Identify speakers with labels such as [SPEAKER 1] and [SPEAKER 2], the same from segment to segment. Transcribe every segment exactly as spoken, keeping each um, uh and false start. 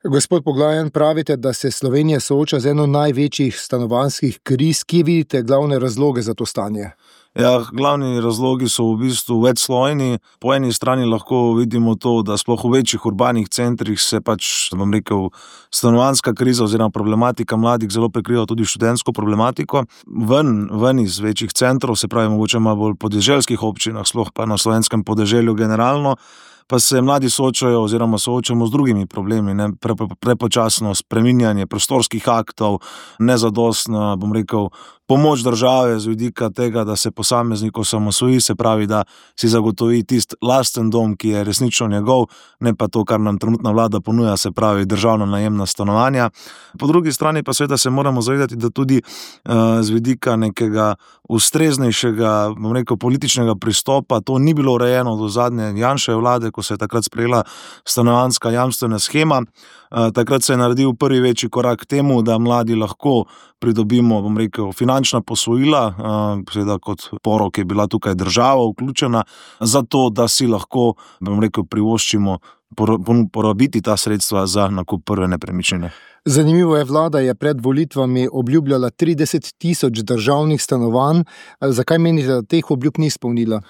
[SPEAKER 1] Gospod Poglajen, pravite, da se Slovenija sooča z eno največjih stanovanjskih kriz. Kje vidite glavne razloge za to stanje?
[SPEAKER 2] Ja, glavni razlogi so v bistvu večslojni. Po eni strani lahko vidimo to, da sploh v večjih urbanih centrih se pač, bom rekel, stanovanjska kriza oziroma problematika mladih zelo prekriva tudi študentsko problematiko. Ven, ven iz večjih centrov, se pravi mogoče malo bolj podeželskih občinah, sploh pa na slovenskem podeželju generalno, pa se mladi soočajo oziroma soočamo z drugimi problemi, ne, pre, pre, prepočasno spreminjanje prostorskih aktov, nezadostna, bom rekel, pomoč države z vidika tega, da se posameznik osamosvoji, se pravi, da si zagotovi tisti lasten dom, ki je resnično njegov, ne pa to, kar nam trenutna vlada ponuja, se pravi državna najemna stanovanja. Po drugi strani pa seveda se moramo zavedati, da tudi uh, z vidika nekega ustreznejšega, bom rekel, političnega pristopa, to ni bilo urejeno do zadnje Janševe vlade, ko se je takrat sprejela stanovanjska jamstvena shema. Uh, takrat se je naredil prvi večji korak k temu, da mladi lahko pridobimo, bom rekel, finančna posojila, uh, seveda kot porok je bila tukaj država vključena, zato da si lahko, bom rekel, privoščimo porabiti ta sredstva za nakup prve nepremičnine.
[SPEAKER 1] Zanimivo je, vlada je pred volitvami obljubljala trideset tisoč državnih stanovanj. Zakaj menite, da teh obljub ni izpolnila?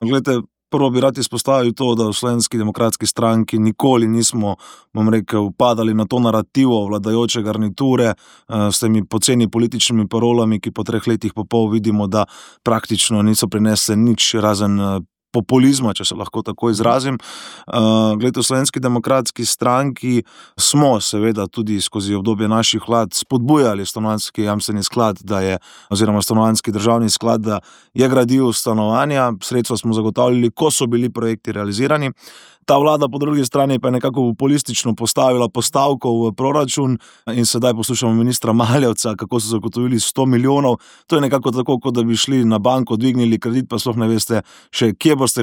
[SPEAKER 2] Glejte, prvo bi rad izpostavil to, da v Slovenski demokratski stranki nikoli nismo, bom rekel, padali na to narativo vladajoče garniture s temi poceni političnimi parolami, ki po treh letih pa pol vidimo, da praktično niso prinesle nič razen populizma, če se lahko tako izrazim. Uh, glede, v Slovenski demokratski stranki smo seveda tudi skozi obdobje naših vlad spodbujali stanovanjski jamstveni sklad, da je, oziroma stanovanjski državni sklad, da je gradil stanovanja, sredstva smo zagotavljali, ko so bili projekti realizirani. Ta vlada po drugi strani pa je nekako populistično postavila postavko v proračun in sedaj poslušamo ministra Maljevca, kako so zagotovili sto milijonov. To je nekako tako, kot da bi šli na banko, dvignili kredit, pa sploh ne veste še, kje boste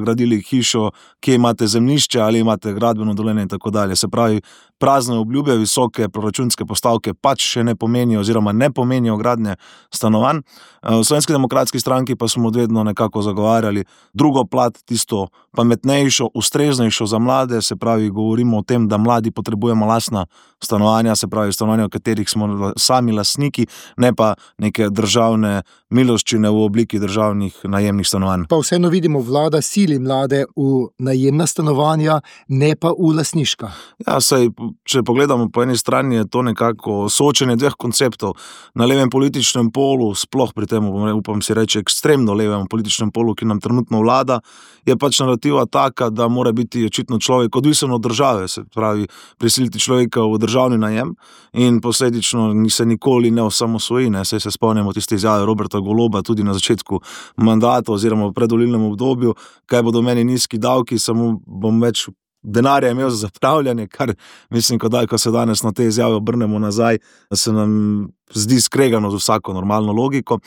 [SPEAKER 2] gradili hišo, kje imate zemljišče ali imate gradbeno dovoljenje in tako dalje. Se pravi, prazne obljube, visoke proračunske postavke pač še ne pomenijo oziroma ne pomenijo gradnje stanovanj. V Slovenski demokratski stranki pa smo vedno nekako zagovarjali drugo plat, tisto pametnejšo, ustreznejšo za mlade, se pravi, govorimo o tem, da mladi potrebujemo lastna stanovanja, se pravi stanovanja, v katerih smo sami lastniki, ne pa neke državne miloščine v obliki državnih najemnih stanovanj.
[SPEAKER 1] Pa vseeno vidimo, vlada sili mlade v najemna stanovanja, ne pa v lastniška.
[SPEAKER 2] Ja, saj, če pogledamo po eni strani, je to nekako soočenje dveh konceptov. Na levem političnem polu, sploh pri tem, upam si reči, ekstremno levem političnem polu, ki nam trenutno vlada, je pač narativa taka, da mora biti očitno človek odvisen od države, se pravi, prisiliti človeka v državni najem in posledično se nikoli ne osamosvoji, ne, saj se spomnimo tiste izjave Roberta Goloba tudi na začetku mandata oziroma v predvolilnem obdobju, kaj bodo meni nizki davki, samo bom več denarja imel za zapravljanje, kar mislim, ko, da, ko se danes na te izjave obrnemo nazaj, se nam zdi skregano z vsako normalno logiko.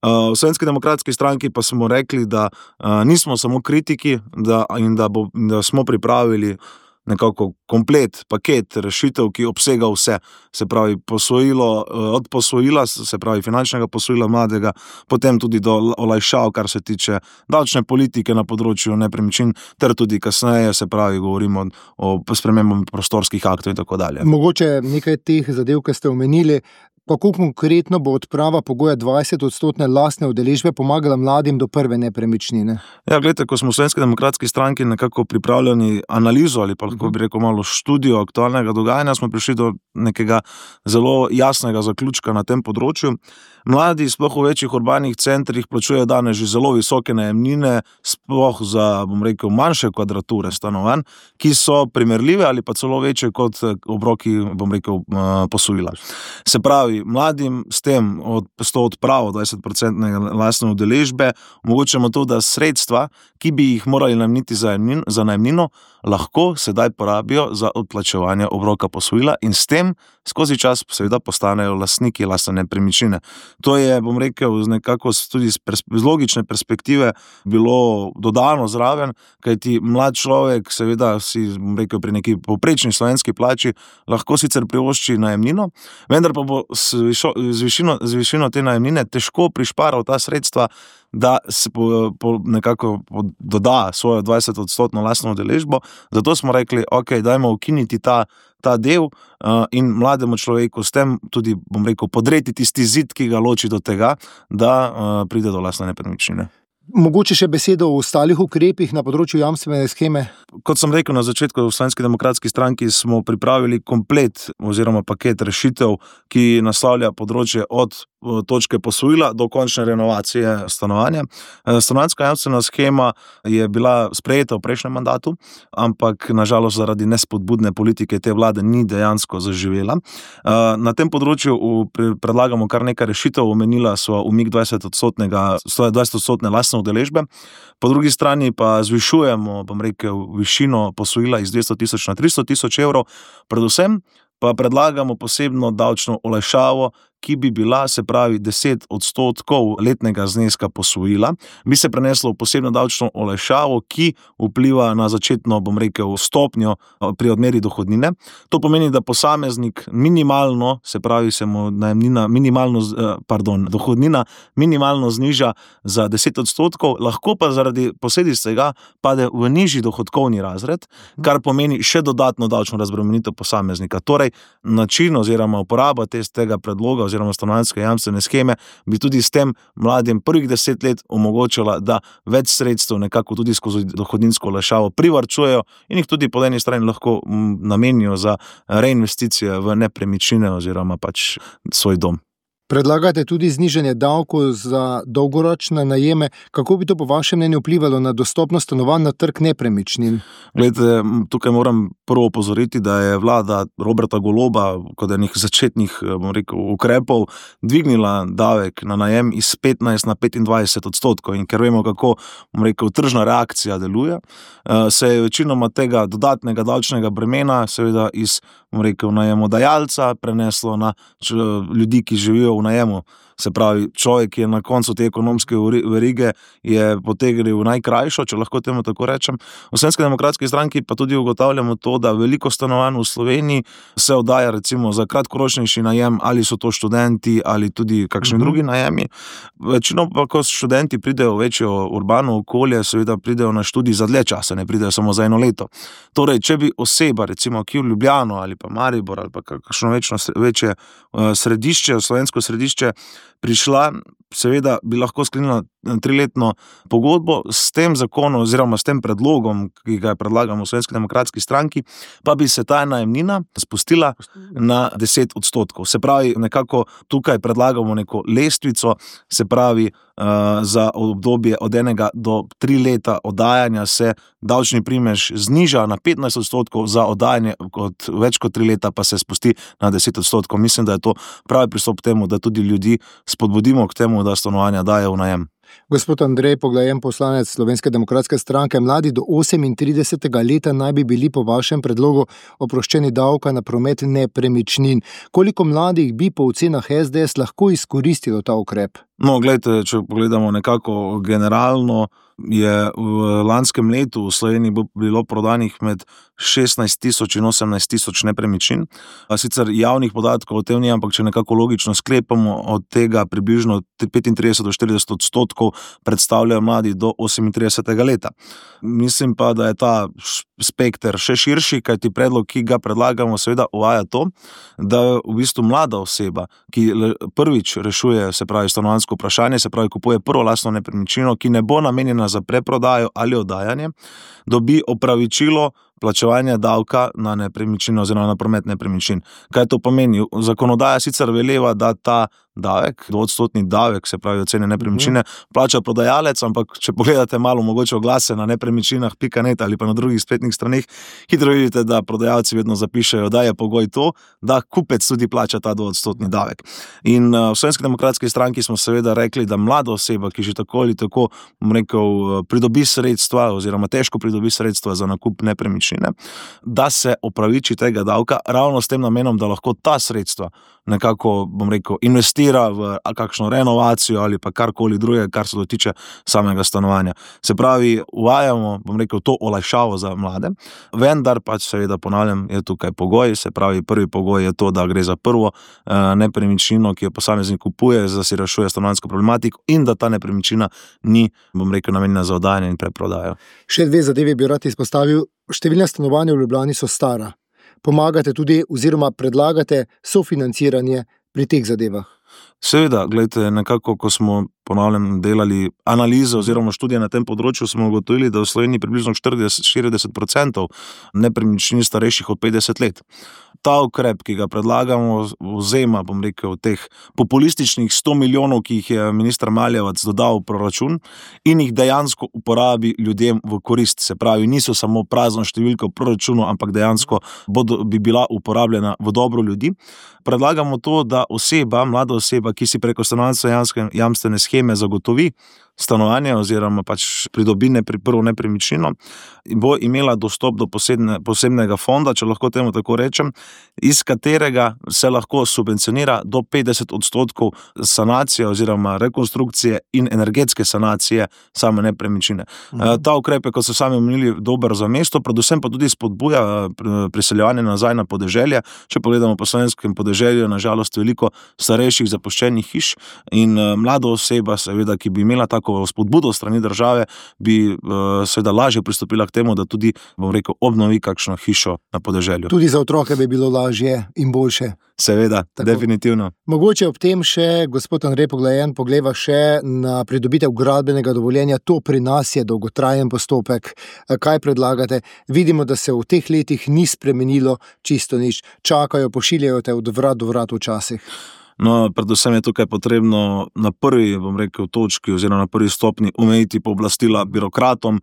[SPEAKER 2] Uh, v Slovenski demokratski stranki pa smo rekli, da uh, nismo samo kritiki da, in da, bo, da smo pripravili nekako komplet, paket rešitev, ki obsega vse, se pravi posojilo, od posojila, se pravi finančnega posojila mladega, potem tudi do olajšav, kar se tiče davčne politike na področju nepremičnin, ter tudi kasneje, se pravi, govorimo o spremembah prostorskih aktov in tako dalje.
[SPEAKER 1] Mogoče nekaj teh zadev, ki ste omenili, kako konkretno bo odprava pogoja dvajset odstotne lastne udeležbe pomagala mladim do prve nepremičnine?
[SPEAKER 2] Ja, gledajte, ko smo v Slovenski demokratski stranki nekako pripravljeni analizo ali pa lahko bi rekel malo študijo aktualnega dogajanja, smo prišli do nekega zelo jasnega zaključka na tem področju. Mladi, sploh v večjih urbanih centrih, plačujejo danes že zelo visoke najemnine, sploh za, bom rekel, manjše kvadrature stanovanj, ki so primerljive ali pa celo večje kot obroki, bom rekel, posojila. Se pravi, mladim s tem, od, s to odpravo dvajset procentne lastne udeležbe, omogočamo to, da sredstva, ki bi jih morali nameniti za, za najemnino, lahko sedaj porabijo za odplačevanje obroka posojila in s tem skozi čas seveda postanejo lastniki lastne nepremičnine. To je, bom rekel, nekako tudi z, pers- z logične perspektive bilo dodano zraven, kajti mlad človek seveda si, bom rekel, pri neki povprečni slovenski plači lahko sicer privošči najemnino, vendar pa bo z, višo, z, višino, z višino te najemnine težko prišparal ta sredstva, da se po, po nekako doda svojo dvajset odstotno lastno udeležbo. Zato smo rekli, ok, dajmo ukiniti ta, ta del uh, in mlademu človeku s tem tudi, bom rekel, podreti tisti zid, ki ga loči do tega, da uh, pride do lastne nepremičnine.
[SPEAKER 1] Mogoče še besedo o ostalih ukrepih na področju jamstvene sheme?
[SPEAKER 2] Kot sem rekel na začetku, v Slovenski demokratski stranki smo pripravili komplet oziroma paket rešitev, ki naslavlja področje od točke posojila do končne renovacije stanovanja. Stanovanjska jamstvena shema je bila sprejeta v prejšnjem mandatu, ampak nažalost zaradi nespodbudne politike te vlade ni dejansko zaživela. Na tem področju predlagamo kar nekaj rešitev, omenila so umik dvajset odstotne lastne udeležbe. Po drugi strani pa zvišujemo, bom rekel, višino posojila iz dvesto tisoč na tristo tisoč evrov, predvsem pa predlagamo posebno davčno olajšavo, ki bi bila, se pravi, deset odstotkov letnega zneska posojila, bi se preneslo v posebno davčno olajšavo, ki vpliva na začetno, bom rekel, stopnjo pri odmeri dohodnine. To pomeni, da posameznik minimalno, se pravi, se mu najemnina minimalno, pardon, dohodnina minimalno zniža za deset odstotkov, lahko pa zaradi posledic tega pade v nižji dohodkovni razred, kar pomeni še dodatno davčno razbremenitev posameznika. Torej, način oziroma uporaba tega predloga oziroma stanovanjske jamstvene sheme bi tudi s tem mladim prvih deset let omogočila, da več sredstev nekako tudi skozi dohodninsko olajšavo privarčujejo in jih tudi po eni strani lahko namenijo za reinvesticije v nepremičnine oziroma pač svoj dom.
[SPEAKER 1] Predlagate tudi znižanje davkov za dolgoročne najeme. Kako bi to po vašem mnenju vplivalo na dostopnost stanovanj na trg nepremičnin?
[SPEAKER 2] Glejte, tukaj moram prvo opozoriti, da je vlada Roberta Goloba kot enih začetnih, bom rekel, ukrepov dvignila davek na najem iz petnajst na petindvajset odstotkov in ker vemo, kako, bom rekel, tržna reakcija deluje, se je večinoma tega dodatnega davčnega bremena seveda iz, bom rekel, najemodajalca preneslo na ljudi, ki živijo v najemu. Se pravi, človek, ki je na koncu te ekonomske verige, je potegnil najkrajšo, če lahko temu tako rečem. V Slovenski demokratski stranki pa tudi ugotavljamo to, da veliko stanovanj v Sloveniji se oddaja recimo za kratkoročnejši najem, ali so to študenti ali tudi kakšni mm-hmm. drugi najemi. Večino pa, ko študenti pridejo v večjo urbano okolje, seveda pridejo na študij za dlje časa, ne pridejo samo za eno leto. Torej, če bi oseba, recimo, ki v Ljubljano ali pa Maribor ali pa kakšno večno, večje središče, slovensko središče, prišla, seveda bi lahko sklenila triletno pogodbo s tem zakonom oziroma s tem predlogom, ki ga predlagamo v Slovenski demokratski stranki, pa bi se ta najemnina spustila na deset odstotkov. Se pravi, nekako tukaj predlagamo neko lestvico, se pravi, uh, za obdobje od enega do tri leta oddajanja se davčni primež zniža na petnajst odstotkov, za oddajanje kot več kot tri leta pa se spusti na deset odstotkov. Mislim, da je to pravi pristop k temu, da tudi ljudi spodbudimo k temu, da stanovanja dajo v najem.
[SPEAKER 1] Gospod Andrej Poglajen, poslanec Slovenske demokratske stranke, mladi do osemintridesetega leta naj bi bili po vašem predlogu oproščeni davka na promet nepremičnin. Koliko mladih bi po ocenah es de es lahko izkoristilo ta ukrep?
[SPEAKER 2] No, gledajte, če pogledamo nekako generalno, je v lanskem letu v Sloveniji bilo prodanih med šestnajst tisoč in osemnajst tisoč nepremičnin. Sicer javnih podatkov o tem ni, ampak če nekako logično sklepamo, od tega približno petintrideset do štirideset odstotkov predstavljajo mladi do osemintridesetega leta. Mislim pa, da je ta spekter še širši, kajti predlog, ki ga predlagamo, seveda uvaja to, da v bistvu mlada oseba, ki prvič rešuje, se pravi, stanovanjsko vprašanje, se pravi, kupuje prvo lastno nepremičnino, ki ne bo namenjena za preprodajo ali oddajanje, dobi opravičilo plačevanja davka na nepremičnino oziroma na promet nepremičnin. Kaj to pomeni? Zakonodaja sicer veleva, da ta davek, dvoodstotni davek, se pravi ocene nepremičnine, plača prodajalec, ampak če pogledate malo mogoče oglase na nepremičninah pika net ali pa na drugih spletnih straneh, hitro vidite, da prodajalci vedno zapišejo, da je pogoj to, da kupec tudi plača ta dvoodstotni davek. In uh, v Slovenski demokratski stranki smo seveda rekli, da mlada oseba, ki že tako ali tako, bom rekel, pridobi sredstva oziroma težko pridobi sredstva za nakup nepremičnine, da se opraviči tega davka ravno s tem namenom, da lahko ta sredstva nekako, bom rekel, investira v kakšno renovacijo ali pa karkoli drugega, kar se dotiče samega stanovanja. Se pravi, uvajamo, bom rekel, to olajšavo za mlade, vendar pač seveda ponavljam, je tukaj pogoj, se pravi, prvi pogoj je to, da gre za prvo eh, nepremičnino, ki jo posameznik kupuje, da si rešuje stanovanjsko problematiko in da ta nepremičnina ni, bom rekel, namenjena za oddajanje in preprodajo.
[SPEAKER 1] Še dve zadevi bi rad izpostavil. Številne stanovanja v Ljubljani so stara. Pomagate tudi oziroma predlagate sofinanciranje pri teh zadevah.
[SPEAKER 2] Seveda, gledajte, nekako, ko smo, ponavljam, delali analizo oziroma študije na tem področju, smo ugotovili, da v Sloveniji približno štirideset do štirideset procentov nepremičnin starejših od petdeset let. Ta ukrep, ki ga predlagamo, vzema, bom rekel, teh populističnih sto milijonov, ki jih je minister Maljevac dodal v proračun in jih dejansko uporabi ljudem v korist. Se pravi, niso samo prazno številko v proračunu, ampak dejansko bodo, bi bila uporabljena v dobro ljudi. Predlagamo to, da oseba, mlada oseba, ki si preko stanovanjske jamstvene sheme zagotovi stanovanje oziroma pač pridobi nepri, prvo nepremičnino, bo imela dostop do posebne, posebnega fonda, če lahko temu tako rečem, iz katerega se lahko subvencionira do petdeset odstotkov sanacije oziroma rekonstrukcije in energetske sanacije same nepremičnine. Mhm. Ta ukrep je, kot so sami omenili, dober za mesto, predvsem pa tudi spodbuja priseljevanje nazaj na podeželje. Če pogledamo po slovenskem podeželju, na žalost veliko starejših zapuščenih hiš in mlada oseba, seveda, ki bi imela tako spodbudo strani države, bi seveda lažje pristopila k temu, da tudi, bom rekel, obnovi kakšno hišo na podeželju.
[SPEAKER 1] Tudi za otroke bi bilo lažje in boljše.
[SPEAKER 2] Seveda, tako. Definitivno.
[SPEAKER 1] Mogoče ob tem še, gospod Andrej Poglajen, pogleda še na pridobitev gradbenega dovoljenja. To pri nas je dolgotrajen postopek. Kaj predlagate? Vidimo, da se v teh letih ni spremenilo čisto nič. Čakajo, pošiljajo te od vrat do vrat včasih.
[SPEAKER 2] No, predvsem je tukaj potrebno na prvi, bom rekel, točki oziroma na prvi stopni omejiti pooblastila birokratom,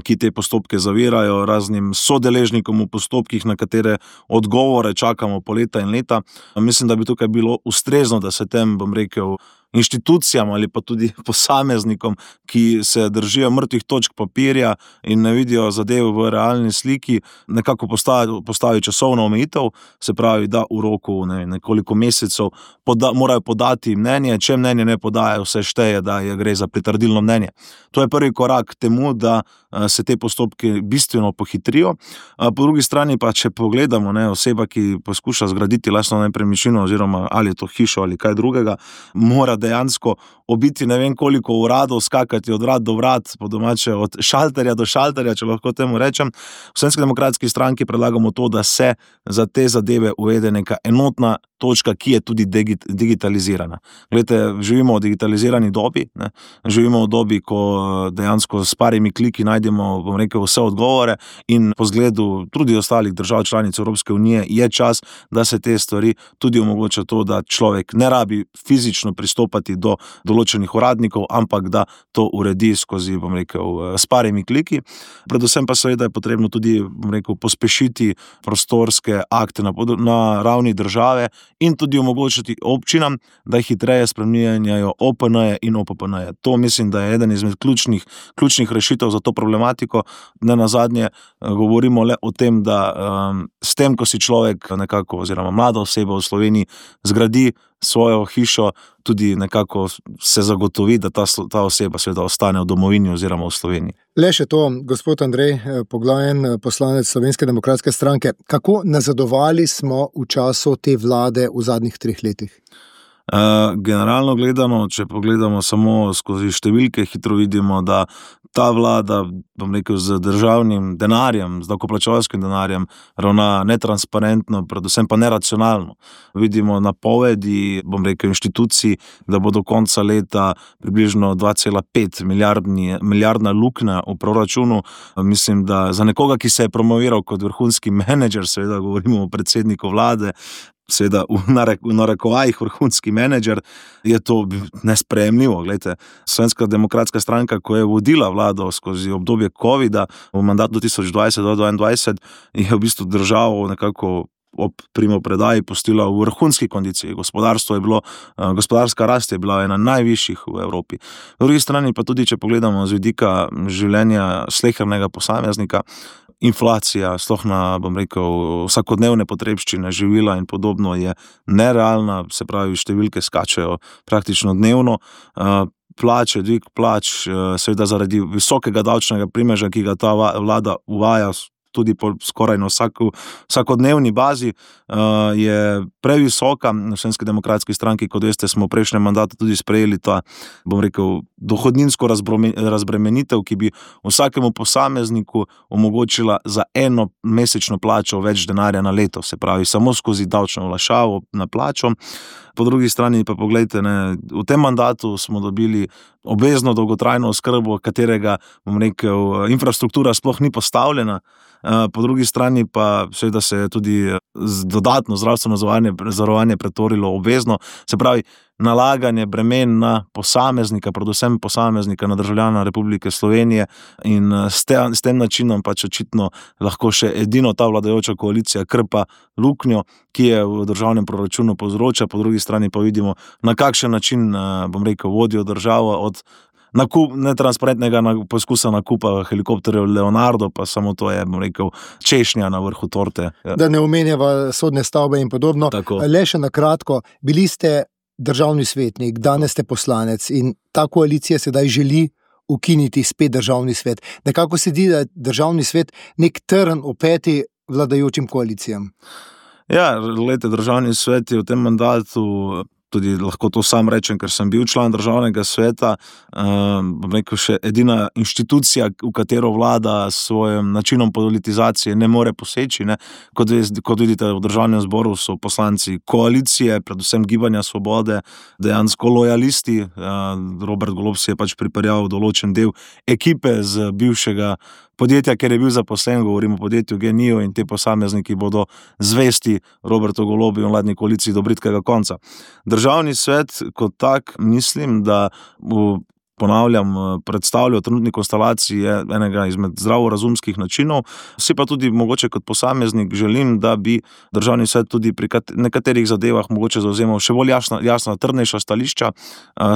[SPEAKER 2] ki te postopke zavirajo, raznim sodeležnikom v postopkih, na katere odgovore čakamo po leta in leta. Mislim, da bi tukaj bilo ustrezno, da se tem, bom rekel, inštitucijam ali pa tudi posameznikom, ki se držijo mrtvih točk papirja in ne vidijo zadev v realni sliki, nekako postavi, postavi časovno omejitev, se pravi, da v roku ne, nekoliko mesecev poda, morajo podati mnenje, če mnenje ne podajo, vse šteje, da je gre za pritrdilno mnenje. To je prvi korak k temu, da se te postopke bistveno pohitrijo. Po drugi strani pa, če pogledamo, ne, oseba, ki poskuša zgraditi lastno nepremičnino oziroma ali je to hišo ali kaj drugega, mora dejansko obiti ne vem koliko uradov, skakati od vrat do vrat, po domače od šalterja do šalterja, če lahko temu rečem. V Slovenski demokratski stranki predlagamo to, da se za te zadeve uvede neka enotna točka, ki je tudi digitalizirana. Glejte, živimo v digitalizirani dobi, ne? Živimo v dobi, ko dejansko s parimi kliki najdemo, bom rekel, vse odgovore in po zgledu tudi ostalih držav članic Evropske unije je čas, da se te stvari tudi omogoča to, da človek ne rabi fizično pristopati do določenih uradnikov, ampak da to uredi skozi, bom rekel, s parimi kliki. Predvsem pa seveda je potrebno tudi, bom rekel, pospešiti prostorske akte na, na ravni države in tudi omogočiti občinam, da hitreje spreminjajo O P N-je in O P P N-je. To mislim, da je eden izmed ključnih, ključnih rešitev za to problematiko. Ne nazadnje govorimo le o tem, da um, s tem, ko si človek nekako oziroma mlada oseba v Sloveniji zgradi svojo hišo, tudi nekako se zagotovi, da ta, ta oseba seveda ostane v domovini oziroma v Sloveniji.
[SPEAKER 1] Le še to, gospod Andrej Poglajen, poslanec Slovenske demokratske stranke, kako nazadovali smo v času te vlade v zadnjih treh letih?
[SPEAKER 2] Uh, generalno gledano, če pogledamo samo skozi številke, hitro vidimo, da ta vlada, bom rekel, z državnim denarjem, z davkoplačevalskim denarjem ravna netransparentno, predvsem pa neracionalno. Vidimo napovedi, bom rekel, inštitucij, da bo do konca leta približno dva cela pet milijardna luknja v proračunu. Mislim, da za nekoga, ki se je promoviral kot vrhunski menedžer, seveda govorimo o predsedniku vlade, seveda v narekovajih vrhunski menedžer, je to nesprejemljivo. Glejte, Slovenska demokratska stranka, ko je vodila vlado skozi obdobje covida v mandatu tisoč dvajset do dvaindvajset, je v bistvu državo nekako ob primopredaji postila v vrhunski kondiciji. Gospodarstvo je bilo, gospodarska rast je bila ena najvišjih v Evropi. V drugi strani pa tudi, če pogledamo z vidika življenja slehernega posameznika, inflacija, sploh na, bom rekel, vsakodnevne potrebščine, živila in podobno je nerealna, se pravi, številke skačejo praktično dnevno. Plače, dvig plač, seveda zaradi visokega davčnega primeža, ki ga ta vlada uvaja tudi po skoraj na vsako, vsakodnevni bazi, je previsoka. V Slovenski demokratski stranki, kot veste, smo v prejšnjem mandatu tudi sprejeli ta, bom rekel, dohodninsko razbremenitev, ki bi vsakemu posamezniku omogočila za eno mesečno plačo več denarja na leto, se pravi, samo skozi davčno olajšavo na plačo. Po drugi strani pa poglejte, ne, v tem mandatu smo dobili obvezno dolgotrajno oskrbo, katerega, bom rekel, infrastruktura sploh ni postavljena. Po drugi strani pa seveda se je tudi dodatno zdravstveno zavarovanje pretvorilo obvezno, se pravi, nalaganje bremen na posameznika, predvsem posameznika, na državljana Republike Slovenije, in s tem, s tem načinom pač očitno lahko še edino ta vladajoča koalicija krpa luknjo, ki je v državnem proračunu povzroča, po drugi strani pa vidimo, na kakšen način, bom rekel, vodijo državo od nakup, netransparentnega poskusa nakupa helikopterjev Leonardo, pa samo to je, bom rekel, češnja na vrhu torte.
[SPEAKER 1] Da ne omenjava sodne stavbe in podobno.
[SPEAKER 2] Tako.
[SPEAKER 1] Le še na kratko, bili ste državni svetnik, danes ste poslanec in ta koalicija sedaj želi ukiniti spet državni svet. Nekako se zdi, da je državni svet nek trn v peti vladajočim koalicijam.
[SPEAKER 2] Ja, glejte, državni svet je v tem mandatu, tudi lahko to sam rečem, ker sem bil član državnega sveta, bom rekel, še edina inštitucija, v katero vlada s svojim načinom politizacije ne more poseči, ne. Kot, kot vidite, v državnem zboru so poslanci koalicije, predvsem Gibanja Svobode, dejansko lojalisti. Robert Golob si je pač pripeljal določen del ekipe z bivšega podjetja, ker je bil zaposlen, govorimo o podjetju Gen-I, in te posamezniki bodo zvesti Robertu Golobu in vladni koaliciji do bridkega konca. Državni svet kot tak, mislim, da v ponavljam, predstavljajo trenutni konstelaciji je enega izmed zdravorazumskih načinov. Si pa tudi mogoče kot posameznik želim, da bi državni svet tudi pri nekaterih zadevah mogoče zauzemal še bolj jasna, jasna trdnejša stališča,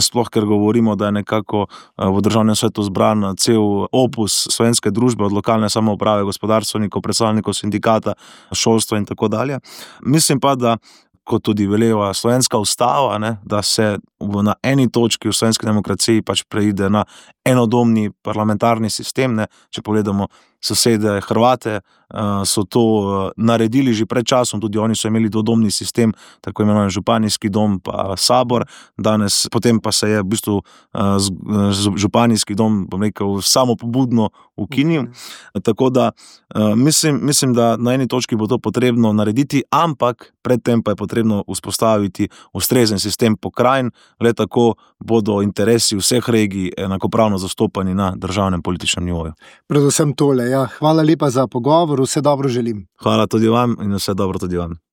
[SPEAKER 2] sploh ker govorimo, da je nekako v državnem svetu zbran cel opus slovenske družbe, od lokalne samouprave, gospodarstvenikov, predstavnikov sindikata, šolstva in tako dalje. Mislim pa, da kot tudi veleva slovenska ustava, ne, da se na eni točki v slovenski demokraciji pač preide na enodomni parlamentarni sistem, ne. Če pogledamo sosede Hrvate, so to naredili že pred časom, tudi oni so imeli dvodomni sistem, tako imenovan županijski dom pa sabor, danes, potem pa se je v bistvu županijski dom, bom rekel, samopobudno ukinil, tako da mislim, mislim, da na eni točki bo to potrebno narediti, ampak predtem pa je potrebno vzpostaviti ustrezen sistem pokrajin, le tako bodo interesi vseh regij enakopravno zastopani na državnem političnem nivoju.
[SPEAKER 1] Predvsem tole, ja. Hvala lepa za pogovor, vse dobro želim.
[SPEAKER 2] Hvala tudi vam in vse dobro tudi vam.